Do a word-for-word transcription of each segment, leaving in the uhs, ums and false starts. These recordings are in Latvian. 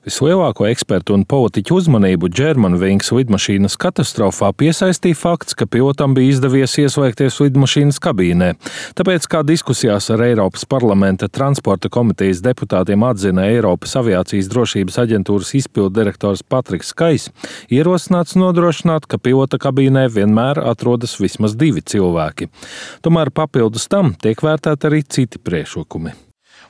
Vislielāko ekspertu un politiķu uzmanību Germanwings lidmašīnas katastrofā piesaistīja fakts, ka pilotam bija izdevies ieslēgties lidmašīnas kabīnē. Tāpēc, kā diskusijās ar Eiropas parlamenta transporta komitejas deputātiem atzina Eiropas aviācijas drošības aģentūras izpilddirektors Patriks Skais, ierosināts nodrošināt, ka pilota kabīnē vienmēr atrodas vismaz divi cilvēki. Tomēr papildus tam tiek vērtēti arī citi priekšlikumi.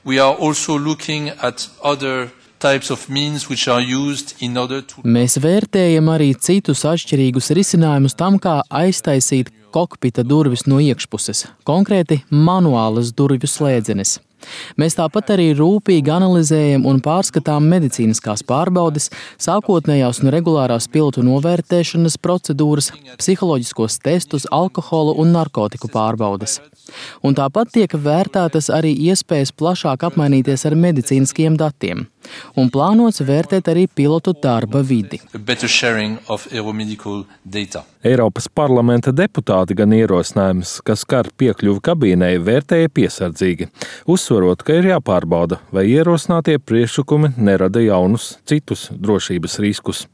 We are also looking at other types of means which are used in order to... Mēs vērtējam arī citus atšķirīgus risinājumus tam, kā aiztaisīt kokpita durvis no iekšpuses, konkrēti manuālas durvju slēdzenes. Mēs tāpat arī rūpīgi analizējam un pārskatām medicīniskās pārbaudes, sākotnējās un regulārās pilotu novērtēšanas procedūras, psiholoģiskos testus, alkohola un narkotiku pārbaudes. Un tāpat tiek vērtētas arī iespējas plašāk apmainīties ar medicīniskiem datiem. Un plānots vērtēt arī pilotu darba vidi. Eiropas parlamenta deputāti gan ierosinājums, kas skar piekļuvi kabīnei, vērtēja piesardzīgi, uzsverot, ka ir jāpārbauda, vai ierosinātie priekšlikumi nerada jaunus citus drošības riskus.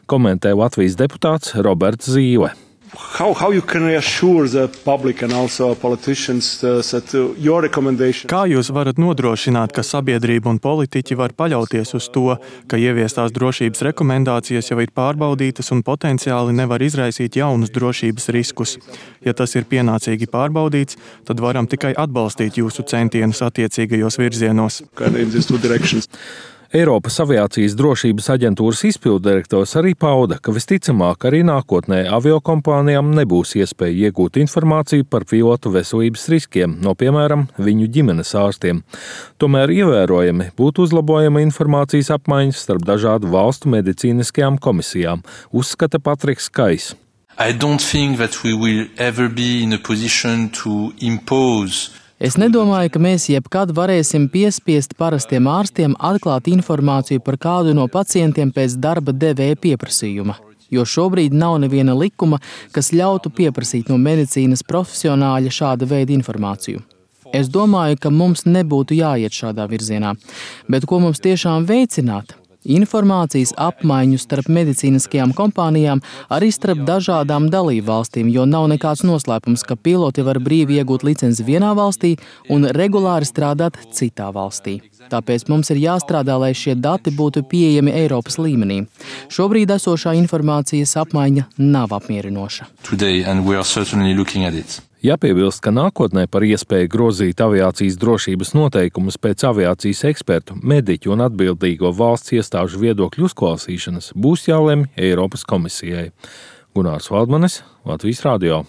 Komentē Latvijas deputāts Roberts Zīle. How, how you can reassure the public and also politicians uh, that uh, your recommendation... Kā jūs varat nodrošināt, ka sabiedrība un politiķi var paļauties uz to, ka ieviestās drošības rekomendācijas jau ir pārbaudītas un potenciāli nevar izraisīt jaunus drošības riskus? Ja tas ir pienācīgi pārbaudīts, tad varam tikai atbalstīt jūsu centienus attiecīgajos virzienos. Eiropas aviācijas drošības aģentūras izpilddirektors arī pauda, ka visticamāk arī nākotnē aviokompānijām nebūs iespēja iegūt informāciju par pilotu veselības riskiem no, piemēram, viņu ģimenes ārstiem. Tomēr ievērojami būtu uzlabojama informācijas apmaiņas starp dažādu valstu medicīniskajām komisijām, uzskata Patriks Skais. I don't think that we will ever be in a position to impose Es nedomāju, ka mēs jebkad varēsim piespiest parastiem ārstiem atklāt informāciju par kādu no pacientiem pēc darba devēja pieprasījuma, jo šobrīd nav neviena likuma, kas ļautu pieprasīt no medicīnas profesionāļa šāda veida informāciju. Es domāju, ka mums nebūtu jāiet šādā virzienā, bet ko mums tiešām veicināt? Informācijas apmaiņu starp medicīniskajām kompānijām, arī starp dažādām dalību valstīm, jo nav nekāds noslēpums, ka piloti var brīvi iegūt licenci vienā valstī un regulāri strādāt citā valstī. Tāpēc mums ir jāstrādā, lai šie dati būtu pieejami Eiropas līmenī. Šobrīd esošā informācijas apmaiņa nav apmierinoša. Today, and we are certainly looking at it. Jāpiebilst, ka nākotnē par iespēju grozīt aviācijas drošības noteikumus pēc aviācijas ekspertu, mediķu un atbildīgo valsts iestāžu viedokļu uzklausīšanas būs jālemj Eiropas komisijai. Gunārs Valdmanis, Latvijas radio.